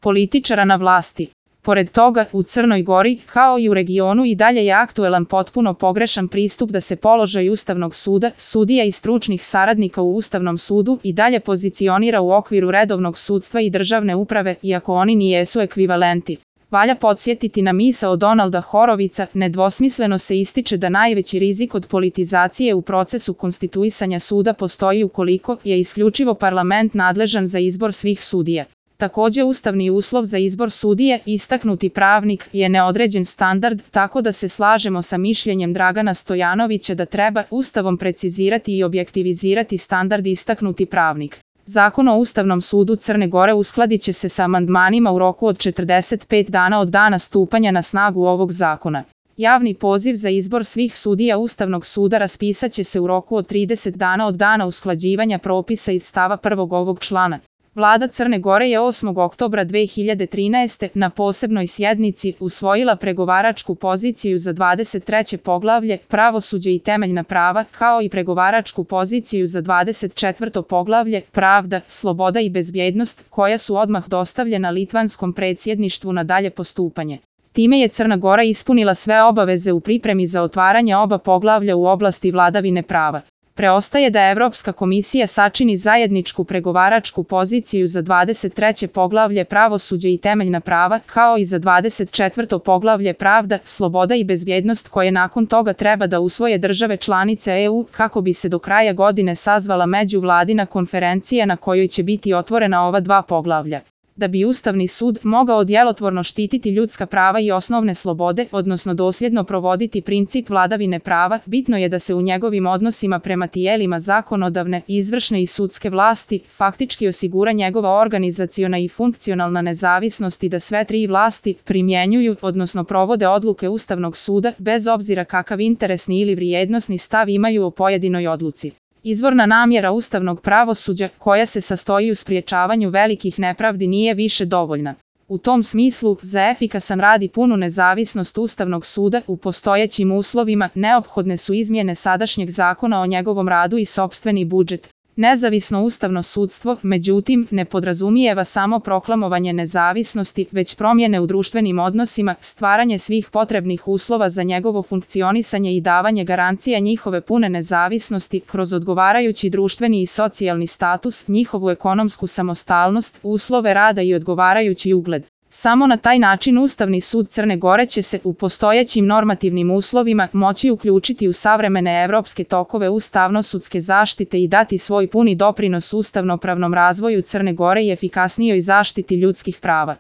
političara na vlasti. Pored toga, u Crnoj Gori, kao i u regionu i dalje je aktuelan potpuno pogrešan pristup da se položaj Ustavnog suda, sudija i stručnih saradnika u Ustavnom sudu i dalje pozicionira u okviru redovnog sudstva i državne uprave, iako oni nijesu ekvivalenti. Valja podsjetiti na misao Donalda Horovica, nedvosmisleno se ističe da najveći rizik od politizacije u procesu konstituisanja suda postoji ukoliko je isključivo parlament nadležan za izbor svih sudija. Također ustavni uslov za izbor sudije, istaknuti pravnik, je neodređen standard, tako da se slažemo sa mišljenjem Dragana Stojanovića da treba Ustavom precizirati i objektivizirati standard istaknuti pravnik. Zakon o Ustavnom sudu Crne Gore uskladit će se sa amandmanima u roku od 45 dana od dana stupanja na snagu ovog zakona. Javni poziv za izbor svih sudija Ustavnog suda raspisat će se u roku od 30 dana od dana usklađivanja propisa iz stava 1. ovog člana. Vlada Crne Gore je 8. oktobra 2013. na posebnoj sjednici usvojila pregovaračku poziciju za 23. poglavlje Pravosuđe i temeljna prava, kao i pregovaračku poziciju za 24. poglavlje Pravda, sloboda i bezbjednost, koja su odmah dostavljena litvanskom predsjedništvu na dalje postupanje. Time je Crna Gora ispunila sve obaveze u pripremi za otvaranje oba poglavlja u oblasti vladavine prava. Preostaje da Evropska komisija sačini zajedničku pregovaračku poziciju za 23. poglavlje Pravosuđe i temeljna prava, kao i za 24. poglavlje Pravda, sloboda i bezbjednost, koje nakon toga treba da usvoje države članice EU, kako bi se do kraja godine sazvala međuvladina konferencija na kojoj će biti otvorena ova dva poglavlja. Da bi Ustavni sud mogao djelotvorno štititi ljudska prava i osnovne slobode, odnosno dosljedno provoditi princip vladavine prava, bitno je da se u njegovim odnosima prema tijelima zakonodavne, izvršne i sudske vlasti faktički osigura njegova organizaciona i funkcionalna nezavisnost i da sve tri vlasti primjenjuju, odnosno provode odluke Ustavnog suda, bez obzira kakav interesni ili vrijednosni stav imaju o pojedinoj odluci. Izvorna namjera ustavnog pravosuđa, koja se sastoji u spriječavanju velikih nepravdi, nije više dovoljna. U tom smislu, za efikasan rad i punu nezavisnost Ustavnog suda u postojećim uslovima neophodne su izmjene sadašnjeg zakona o njegovom radu i sopstveni budžet. Nezavisno ustavno sudstvo, međutim, ne podrazumijeva samo proklamovanje nezavisnosti, već promjene u društvenim odnosima, stvaranje svih potrebnih uslova za njegovo funkcionisanje i davanje garancija njihove pune nezavisnosti kroz odgovarajući društveni i socijalni status, njihovu ekonomsku samostalnost, uslove rada i odgovarajući ugled. Samo na taj način Ustavni sud Crne Gore će se u postojećim normativnim uslovima moći uključiti u savremene evropske tokove ustavno-sudske zaštite i dati svoj puni doprinos ustavnopravnom razvoju Crne Gore i efikasnijoj zaštiti ljudskih prava.